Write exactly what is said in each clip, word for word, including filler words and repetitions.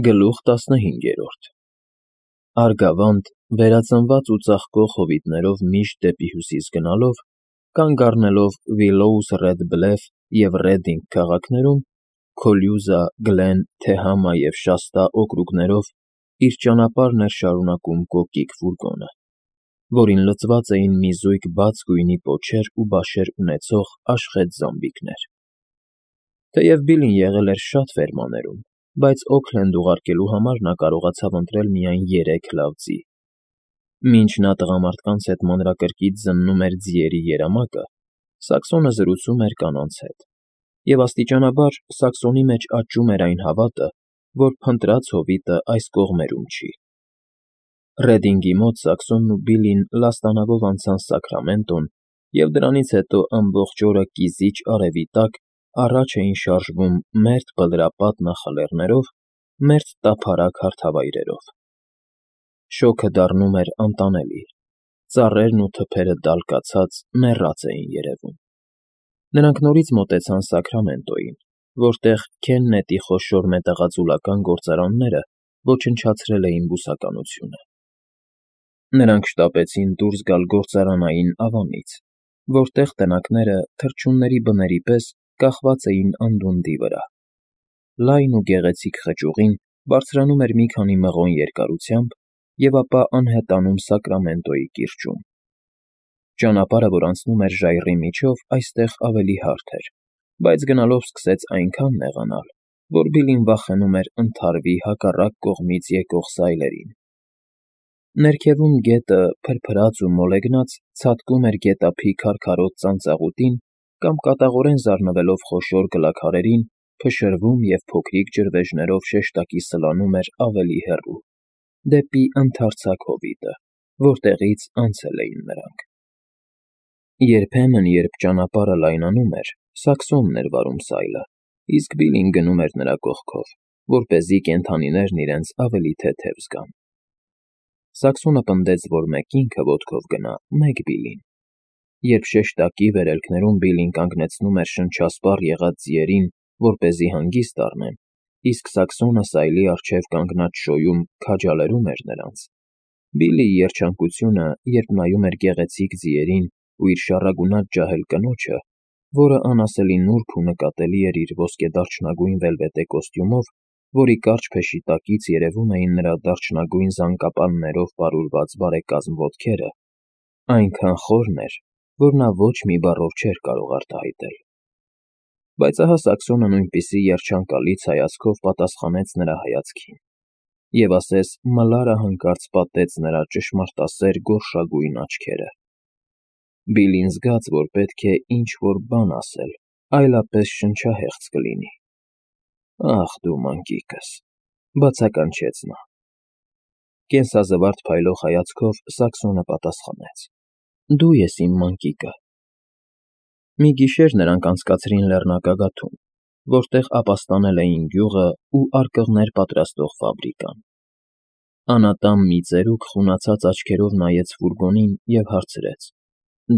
Գլուխ տասնհինգերորդ Արգավանդ, վերածնված ու ծաղկող հովիտներով միշտ դեպի հյուսիս գնալով, կանգ առնելով Վիլլոուս Ռեդ Բլեֆ և Ռեդինգ քաղաքներում, Քոլյուզա, Գլեն, Թեհամա և Շաստա օկրուգներով իր ճանապարհն էր շարունակում կոկիկ ֆուրգոնը, որին լցված էին մի զույգ բաց գույնի պոչեր ու բաշեր ունեցող աշխեծ զամբիկներ։ Թեև Բիլլին եղել էր շատ ֆերմաներում, բայց Օքլենդ ուղարկելու համար նա կարողացավ ընտրել միայն երեք լավ ձի։ Մինչ նա տղամարդկանց հետ մանրակրկիտ զննում էր ձիերի երամակը, Սաքսոնը զրուցում էր կանանց հետ, և աստիճանաբար Սաքսոնի մեջ աճում էր այն հավատը, որ փնտրած հովիտը այս կողմերում չի։ Ռեդինգի մոտ Սաքսոնն ու Բիլլին լաստանավով անցան Սաքրամենտոն և դրանից հետո ամբողջ օրը կիզիչ արևի տակ առաջ էին շարժվում մերթ բլրապատ նախալեռներով, մերթ տափարակ հարթավայրերով։ Շոգը դառնում էր անտանելի, ծառերն ու թփերը դալկացած, մեռած էին երևում։ Նրանք նորից մոտեցան Սաքրամենտոյին, որտեղ Քեննետի խոշոր մետաղաձուլական գործարանները ոչնչացրել էին բուսականությունը։ Նրանք շտապեցին դուրս գալ գործարանային ավանից, որտեղ տնակները թռչունների բների պես կախված էին անդունդի վրա։ Լայն ու գեղեցիկ խճուղին բարձրանում էր մի քանի մղոն երկարությամբ և ապա անհետանում Սակրամենտոյի կիրճում։ Ճանապարհը, որ անցնում էր ժայռի միջով, այստեղ ավելի հարթ էր, բայց գնալով սկսեց այնքան նեղանալ, որ Բիլլին վախենում էր ընդհարվի հակառակ կողմից եկող սայլերին։ Ներքևում գետը, փրփրած ու մոլեգնած, ցատկում էր գետափի քարքարոտ ծանծաղուտին կամ, կատաղորեն զարնվելով խոշոր գլաքարերին, փշրվում և փոքրիկ ջրվեժներով շեշտակի սլանում էր ավելի հեռու, դեպի ընդարձակ հովիտը, որտեղից անցել էին նրանք։ Երբեմն, երբ ճանապարհը լայնանում էր, Սաքսոնն էր վարում սայլը, իսկ Բիլլին գնում էր նրա կողքով, որպեսզի կենդանիներն իրենց ավելի թեթև զգան։ Սաքսոնը պնդեց, որ մեկ ինքը ոտքով գնա, մեկ Բիլլին։ Երբ շեշտակի վերելքներում Բիլլին կանգնեցնում էր շնչասպառ եղած ձիերին, որպեսզի հանգիստ առնեն, իսկ Սաքսոնը սայլի առջև կանգնած շոյում քաջալերում էր նրանց, Բիլլիի երջանկությունը, երբ նայում էր գեղեցիկ ձիերին ու իր շառագունած ջահել կնոջը, որը անասելի նուրբ ու նկատելի էր իր ոսկեդարչնագույն վելվետե կոստյումով, որի կարճ փեշի տակից երևում էին նրա դարչնագույն զանգապաններով պարուրված բարեկազմ ոտքերը, այնքան խորն էր, որ նա ոչ մի բառով չէր կարող արտահայտել։ Բայց ահա Սաքսոնը նույնպիսի երջանկալից հայացքով պատասխանեց նրա հայացքին, և ասես մլարը հանկարծ պատեց նրա ճշմարտասեր գորշագույն աչքերը։ Բիլլին զգաց, որ պետք է ինչ֊որ բան ասել, այլապես շնչահեղձ կլինի։ «Ախ դու մանկիկս», բացականչեց նա։ Կենսազվարթ փայլող հայացքով Սաքսոնը պատասխանեց. «Դու ես իմ մանկիկը»։ Մի գիշեր նրանք անցկացրին լեռնագագաթում, որտեղ ապաստանել էին գյուղը ու արկղներ պատրաստող ֆաբրիկան։ Անատամ մի ծերուկ խունացած աչքերով նայեց ֆուրգոնին և հարցրեց.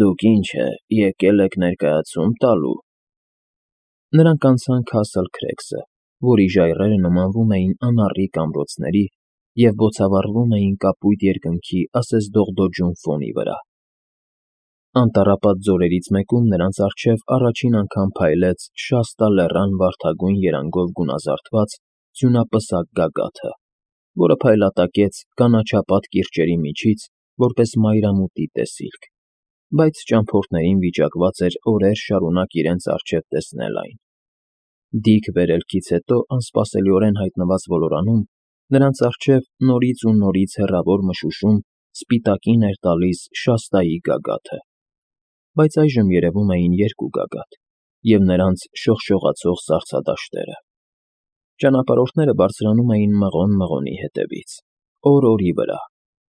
«Դուք ինչ է, եկել եք ներկայացում տալու»։ Նրանք անցան Քասլ Քրեգսը, որի ժայռերը նմանվում էին անառիկ ամրոցների և բոցավառվում էին կապույտ երկնքի ասես դողդոջուն ֆոնի վրա։ Անտառապատ ձորերից մեկում նրանց առջև առաջին անգամ փայլեց Շաստա լեռան վարդագույն երանգով գունազարդված ձյունապսակ գագաթը, որը փայլատակեց կանաչապատ կիրճերի միջից որպես մայրամուտի տեսիլք, բայց ճամփորդներին վիճակված էր օրեր շարունակ իրենց առջև տեսնել այն։ Դիք վերելքից հետո անսպասելիորեն հայտնված ոլորանում նրանց առջև նորից ու նորից հեռավոր մշուշում սպիտակին էր տալիս Շաստայի գագաթը, բայց այժմ երևում էին երկու գագաթ և նրանց շողշողացող սառցադաշտերը։ Ճանապարհորդները բարձրանում էին մղոն֊մղոնի հետևից, օր֊օրի վրա,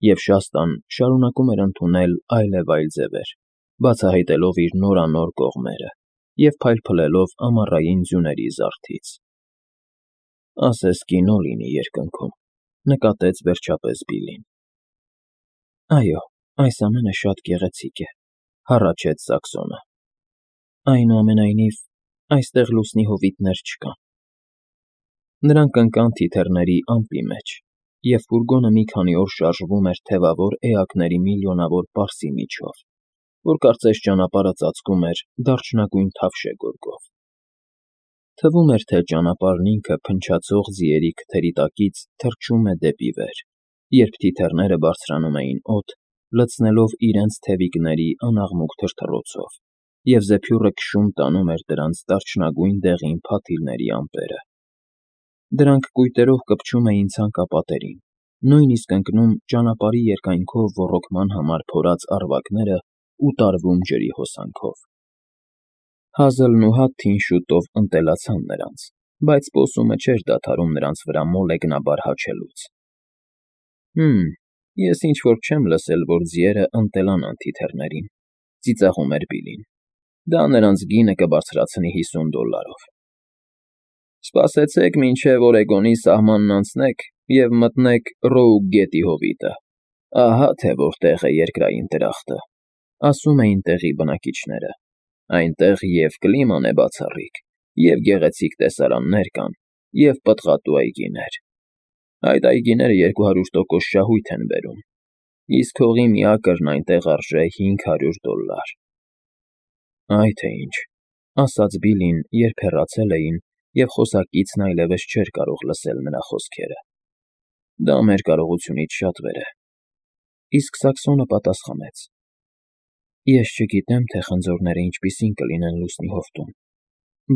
և Շաստան շարունակում էր ընդունել այլևայլ ձևեր, բացահայտելով իր նորանոր կողմերը և փայլփլելով ամառային ձյուների զարթից։ «Ասես կինո լինի երկնքում», նկատեց վերջապես Բիլլին։ «Այո, այս ամենը շատ գեղեցիկ է», հառաչեց Սաքսոնը։ «Այնուամենայնիվ, այստեղ լուսնի հովիտներ չկան»։ Նրանք ընկան թիթեռների ամպի մեջ, և ֆուրգոնը մի քանի օր շարժվում էր թևավոր էակների միլիոնավոր պարսի միջով, որ կարծես ճանապարհը ծածկում էր դարչնագույն թավշե գորգով։ Թվում էր, թե ճանապարհն ինքը փնչացող ձիերի քթերի տակից թռչում է դեպի վեր, երբ թիթեռները բարձրանում էին օդ, լցնելով իրենց թևիկների անաղմուկ թրթռոցով, և զեփյուռը քշում տանում էր դրանց դարչնագույն դեղին փաթիլների ամպերը։ Դրանք կույտերով կպչում էին ցանկապատերին, նույնիսկ ընկնում ճանապարհի երկայնքով ոռոգման համար փորած առվակները ու տարվում ջրի հոսանքով։ Հազլն ու Հադթին շուտով ընտելացան նրանց, բայց պոսումը չէր դադարում նրանց վրա մոլեգնաբար հաչելուց։ «Հըմ, ես ինչ֊որ չեմ լսել, որ ձիերը ընտելանան թիթեռներին,֊ ծիծաղում էր Բիլլին։֊ Դա նրանց գինը կբարձրացնի հիսուն դոլարով»։ «Սպասեցեք, մինչև Օրեգոնի սահմանն անցնեք և մտնեք Ռոուգ գետի հովիտը, ահա թե որտեղ է երկրային դրախտը»,֊ ասում էին տեղի բնակիչները։ «Այնտեղ և կլիման է բացառիկ, և գեղեցիկ տեսարաններ կան, և պտղատու այգիներ։ Այդ այգիները երկու հարյուր տոկոս շահույթ են բերում, իսկ հողի մի ակրն այնտեղ արժե հինգ հարյուր դոլար»։ «Այ թե ինչ,֊ ասաց Բիլլին, երբ հեռացել էին, և խոսակիցն այլևս չէր կարող լսել նրա խոսքերը։֊ Դա մեր կարողությունից շատ վեր է»։ Իսկ Սակսոնը պատասխանեց. «Ես չգիտեմ, թե խնձորները ինչպիսին կլինեն լուսնի հովտում,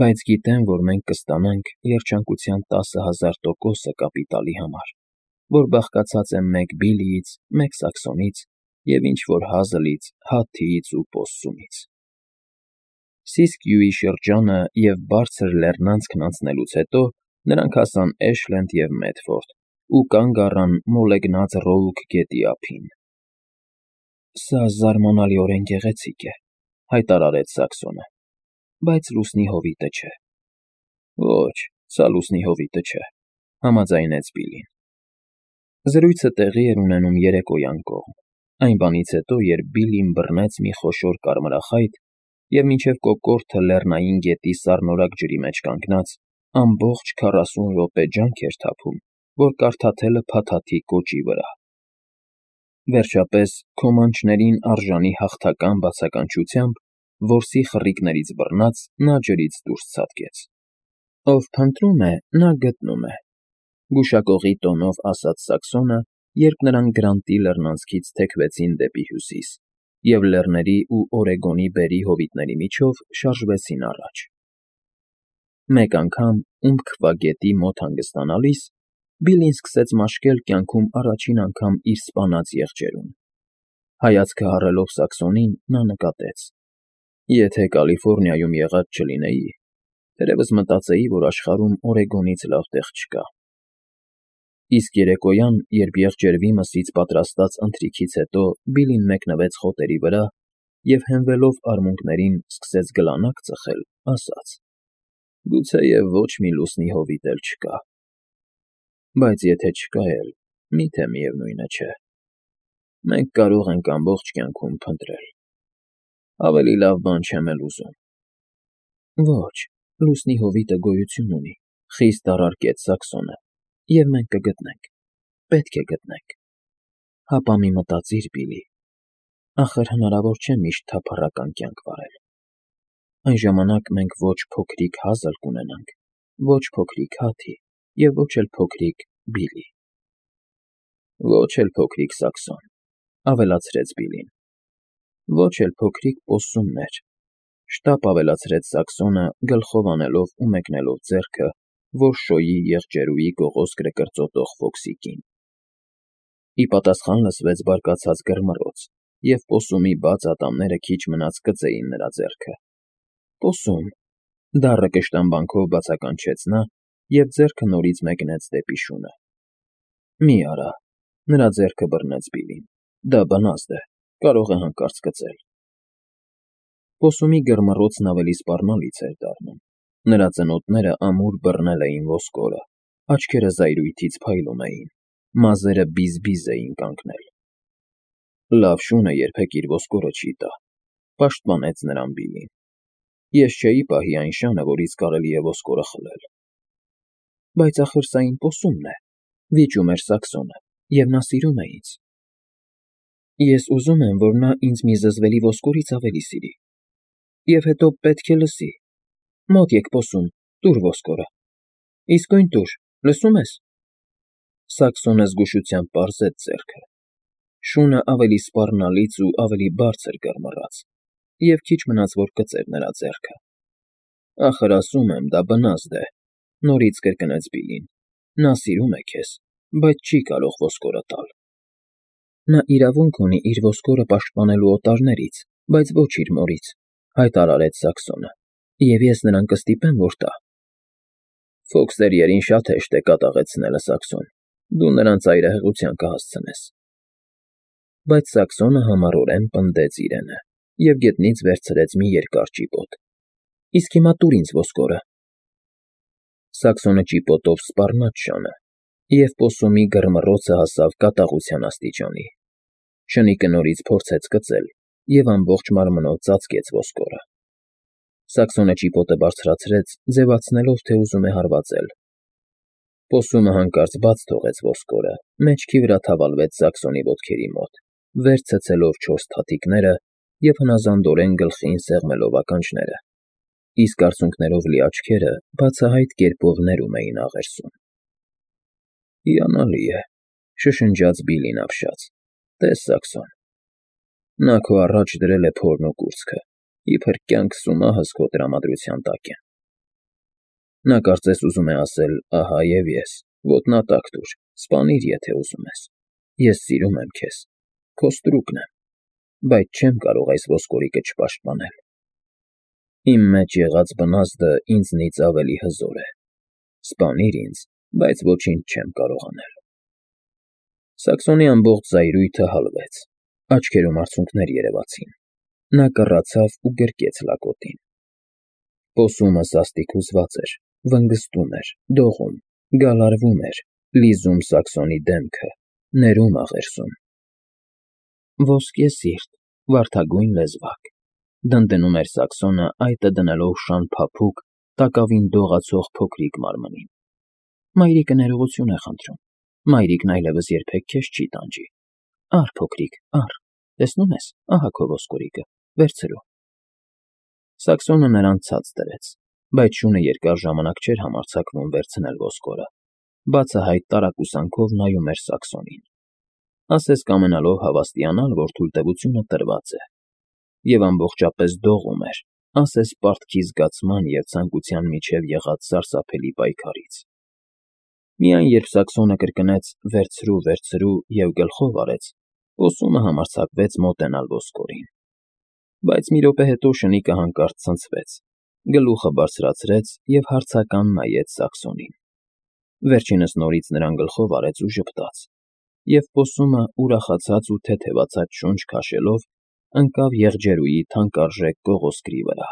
բայց գիտեմ, որ մենք կստանանք երջանկության տասը հազար տոկոսը կապիտալի համար, որ բաղկացած է մեկ Բիլլիից, մեկ Սակսոնից և ինչ֊որ Հազլից, Հադթիից ու Պոссումից»։ Սիսկյույի շրջանը և բարձր լեռնանցքն անցնելուց հետո նրանք հասան Էշլենդ և Մեդֆորդ ու կանգ առան մոլեգնած Ռոուգ գետի ափին։ «Սա զարմանալիորեն գեղեցիկ է,֊ հայտարարեց Սակսոնը,֊ բայց լուսնի հովիտը չէ»։ «Ոչ, սա լուսնի հովիտը չէ,֊ համաձայնեց Բիլլին։ Զրույցը տեղի էր ունենում երեկոյան կողմ, այն բանից հետո, երբ Բիլլին բռնեց մի խոշոր կարմրախայտ և մինչև կոկորդը լեռնային գետի սառնորակ ջրի մեջ կանգնած, ամբողջ քառասուն րոպե ջանք էր թափում, որ կարդաթելը փաթաթի կոճի վրա։ Վերջապես, քոմանչներին արժանի հաղթական բացականչությամբ, որսի խռիկներից բռնած, նա ջրից դուրս ցատկեց։ «Ով փնտրում է, նա գտնում է,֊ գուշակողի տոնով ասաց Սակսոնը, երբ նրանք Գրանտի լեռնանցքից թեքվեցին դեպի հյուսիս և լեռների ու Օրեգոնի բերրի հովիտների միջով շարժվեցին առաջ։ Մեկ անգամ Ումբքվա գետի մոտ հանգստանալիս, Բիլլին սկսեց մաշկել կյանքում առաջին անգամ իր սպանած եղջերուն։ Հայացքը հառելով Սակսոնին, նա նկատեց. «Եթե Կալիֆոռնիայում եղած չլինեի, թերևս մտածեի, որ աշխարհում Օրեգոնից լավ տեղ չկա»։ Իսկ երեկոյան, երբ եղջերվի մսից պատրաստած ընթրիքից հետո Բիլլին մեկնվեց խոտերի վրա և, հենվելով արմունկներին, սկսեց գլանակ ծխել, ասաց. «Գուցեև ոչ մի լուսնի հովիտ էլ չկա։ Բայց եթե չկա էլ, մի՞թե միևնույնը չէ։ Մենք կարող ենք ամբողջ կյանքում փնտրել։ Ավելի լավ բան չեմ էլ ուզում»։ «Ոչ, լուսնի հովիտը գոյություն ունի,֊ խիստ առարկեց Սակսոնը,֊ և մենք կգտնենք, պետք է գտնենք։ Հապա մի մտածիր, Բիլլի, ախր հնարավոր չէ միշտ թափառական կյանք վարել։ Այն ժամանակ մենք ոչ փոքրիկ Հազլ կունենանք, ոչ փոքրիկ Հադի և ոչ էլ փոքրիկ Բիլլի»։ «Ոչ էլ փոքրիկ Սակսոն,֊ ավելացրեց Բիլլին,֊ ոչ էլ փոքրիկ Պոссումներ,֊ շտապ ավելացրեց Սակսոնը, գլխով անելով ու մեկնելով ձեռքը որշոյի եղջերուի գողոսկրը կրծոտող Ֆոքսի կին։ Ի պատասխան լսվեց բարկացած գրմռոց, և Պոссումի բաց ատամները քիչ մնաց կծեին նրա ձեռքը։ «Պոսում,֊ դառը կշտամբանքով բացականչեց նա և ձեռքը նորից մեկնեց դեպի շունը։ «Մի արա,֊ նրա ձեռքը բռնեց Բիլլին,֊ դա բնազդ է, կարող է հանկարծ կծել»։ Պոссումի գրմռոցն ավելի սպառնալից էր դառնում։ Նրա ծնոտները ամուր բռնել էին ոսկորը, աչքերը զայրույթից փայլում էին, մազերը բիզ֊բիզ էին կանգնել։ «Լավ շունը երբեք իր ոսկորը չի տա,֊ պաշտպանեց նրան Բիլլին։ «Ես չէի պահի այն շանը, որից կարելի է ոսկորը խլել»։ Բայց ախր սա իմ պոսումն է, վիճում էր Սաքսոնը, և նա սիրում է ինձ։ Ես ուզում եմ, որ նա ինձ մի զզվելի ոսկորից ավելի սիրի։ Եվ հետո պետք է լսի։ Մոտ եկ, պոսում, տուր ոսկորը։ Իսկույն տուր, լսո՞ւմ ես։ Սաքսոնը զգուշությամբ պարզեց ձեռքը։ Շունը ավելի սպառնալից ու ավելի բարձր գռմռաց, և քիչ մնաց, որ կծեր նրա ձեռքը։ Ախր ասում եմ, դա բնազդ է, նորից կրկնեց Բիլլին։ Նա սիրում է քեզ, բայց չի կարող ոսկորը տալ։ Նա իրավունք ունի իր ոսկորը պաշտպանելու օտարներից, բայց ոչ իր մորից, հայտարարեց Սաքսոնը, և ես նրան կստիպեմ, որ տա։ Ֆոքստերիերին շատ հեշտ է կատաղեցնելը, Սաքսոն, դու նրան ծայրահեղության կհասցնես։ Բայց Սաքսոնը համառորեն պնդեց իրենը և գետնից վերցրեց մի երկար ճիպոտ։ Իսկ հիմա տուր ինձ ոսկորը։ Սաքսոնը ճիպոտով սպառնաց շանը, և պոսումի գռմռոցը հասավ կատաղության աստիճանի։ Շնիկը նորից փորձեց կծել և ամբողջ մարմնով ծածկեց ոսկորը։ Սաքսոնը ճիպոտը բարձրացրեց, ձևացնելով, թե ուզում է հարվածել։ Պոսումը հանկարծ բաց թողեց ոսկորը, մեջքի վրա թավալվեց Սաքսոնի ոտքերի մոտ, վեր ցցելով չորս թաթիկները և հնազանդորեն գլխին սեղմելով ականջները, իսկ արցունքներով լի աչքերը բացահայտ կերպով ներում էին աղերսում։ Հիանալի է, շշնջաց Բիլլին ապշած։ Տես, Սաքսոն։ Նա քո առաջ դրել է փորն ու կուրծքը, իբր կյանքս ու մահս քո տրամադրության տակ են։ Նա կարծես ուզում է ասել. «Ահա և ես, ոտնատակ տուր, սպանիր, եթե ուզում ես։ Ես սիրում եմ քեզ, քո ստրուկն եմ, բայց չեմ կարող այս ոսկորիկը չպաշտպանել։ Իմ մեջ եղած բնազդը ինձնից ավելի հզոր է։ Սպանիր ինձ, բայց ոչինչ չեմ կարող անել»։ Սաքսոնի ամբողջ զայրույթը հալվեց, աչքերում արցունքներ երևացին։ Նա կռացավ ու գրկեց լակոտին։ Պոսումը սաստիկ հուզված էր, վնգստում էր, դողում, գալարվում էր, լիզում Սաքսոնի դեմքը, ներում աղերսում։ Ոսկե սիրտ, վարդագույն լեզվակ, դնդնում էր Սաքսոնը, այտը դնելով շան փափուկ, տակավին դողացող փոքրիկ մարմնին։ Մայրիկը ներողություն է խնդրում, մայրիկն այլևս երբեք քեզ չի տանջի։ Առ, փոքրիկ, առ, տեսնում ես, ահա քո ոսկորիկը, վերցրու։ Սաքսոնը նրան ցած դրեց, բայց շունը երկար ժամանակ չէր համարձակվում վերցնել ոսկորը, բացահայտ տարակուսանքով նայում էր Սաքսոնին, ասես կամենալով հավաստիանալ, որ թույլտվությունը տրված է, և ամբողջապես դողում էր, ասես պարտքի զգացման և ցանկության միջև եղած սարսափելի պայքարից։ Միայն երբ Սաքսոնը կրկնեց. «Վերցրու, վերցրու» և գլխով արեց, պոսումը համարձակվեց մոտենալ ոսկորին։ Բայց մի րոպե հետո շնիկը հանկարծ ցնցվեց, գլուխը բարձրացրեց և հարցական նայեց Սաքսոնին։ Վերջինս նորից նրան գլխով արեց ու ժպտաց, և պոսումը, ուրախացած ու թեթևացած շունչ քաշելով, ընկավ եղջերուի թանկարժեք կողոսկրի վրա։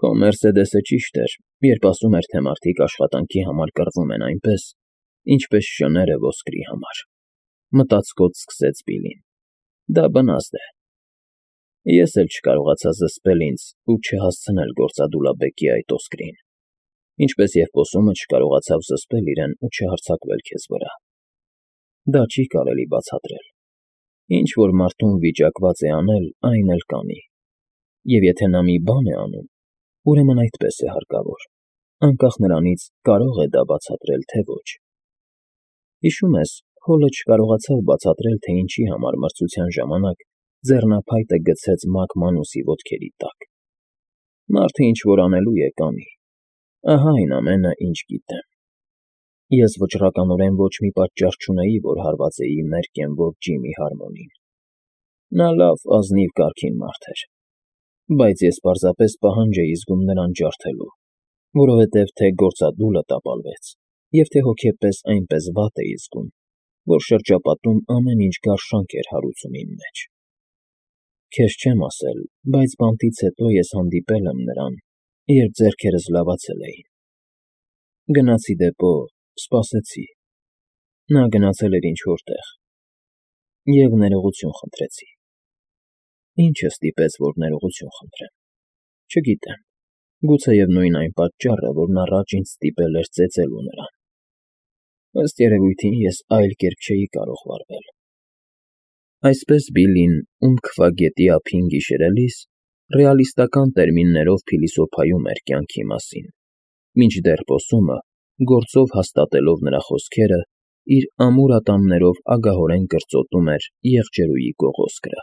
Քո Մերսեդեսը ճիշտ էր, երբ ասում էր, թե մարդիկ աշխատանքի համար կռվում են այնպես, ինչպես շները ոսկրի համար, մտածկոտ սկսեց Բիլլին։ Դա բնազդ է։ Ես էլ չկարողացա զսպել ինձ ու չհասցնել գործադուլաբեկի այդ ոսկրին, ինչպես և պոսումը չկարողացավ զսպել իրեն ու չհարձակվել քեզ վրա։ Դա չի կարելի բացատրել։ Ինչ որ մարդուն վիճակված է անել, այն էլ կանի։ Եվ եթե նա մի բան է անում, ուրեմն այդպես է հարկավոր, անկախ նրանից՝ կարո՞ղ է դա բացատրել, թե ոչ։ Հիշում ես, Հոլը չկարողացավ բացատրել, թե ինչի համար մրցության ժամանակ ձեռնափայտը գցեց Մակմանուսի ոտքերի տակ։ Մարդը ինչ որ անելու է, կանի։ Ահա այն ամենը, ինչ գիտեմ։ Ես վճռականորեն ոչ մի պատճառ չունեի, որ հարվածեի Մերկենվոր Ջիմի Հարմոնին։ Նա լավ, ազնիվ կարգին մարդ էր, բայց ես պարզապես պահանջ էի զգում նրան ջարդելու, որովհետև թե գործադուլը տապալվեց, և թե հոգեպես այնպես վատ էի զգում, որ շրջապատում ամեն ինչ գարշանք էր հարուցում իմ մեջ։ Քեզ չեմ ասել, բայց բանտից հետո ես հանդիպել եմ նրան, երբ ձեռքերս լավացել էին։ Գնացի դեպո, սպասեցի։ Նա գնացել էր ինչ֊որ տեղ, և ներողություն խնդրեցի։ Ինչը ստիպեց, որ ներողություն խնդրեմ, չգիտեմ։ Գուցեև նույն այն պատճառը, որն առաջ ինձ ստիպել էր ծեծելու նրան։ Ըստ երևույթին ես այլ կերպ չէի կարող վարվել։ Այսպես Բիլլին, ում քվագետի ափին գիշերելիս, ռեալիստական տերմիններով փիլիսոփայում էր կյանքի մասին, մինչդեռ պոսումը, գործով հաստատելով նրա խոսքերը, իր ամուր ատամներով ագահորեն կրծոտում էր եղջերուի կողոսկրը։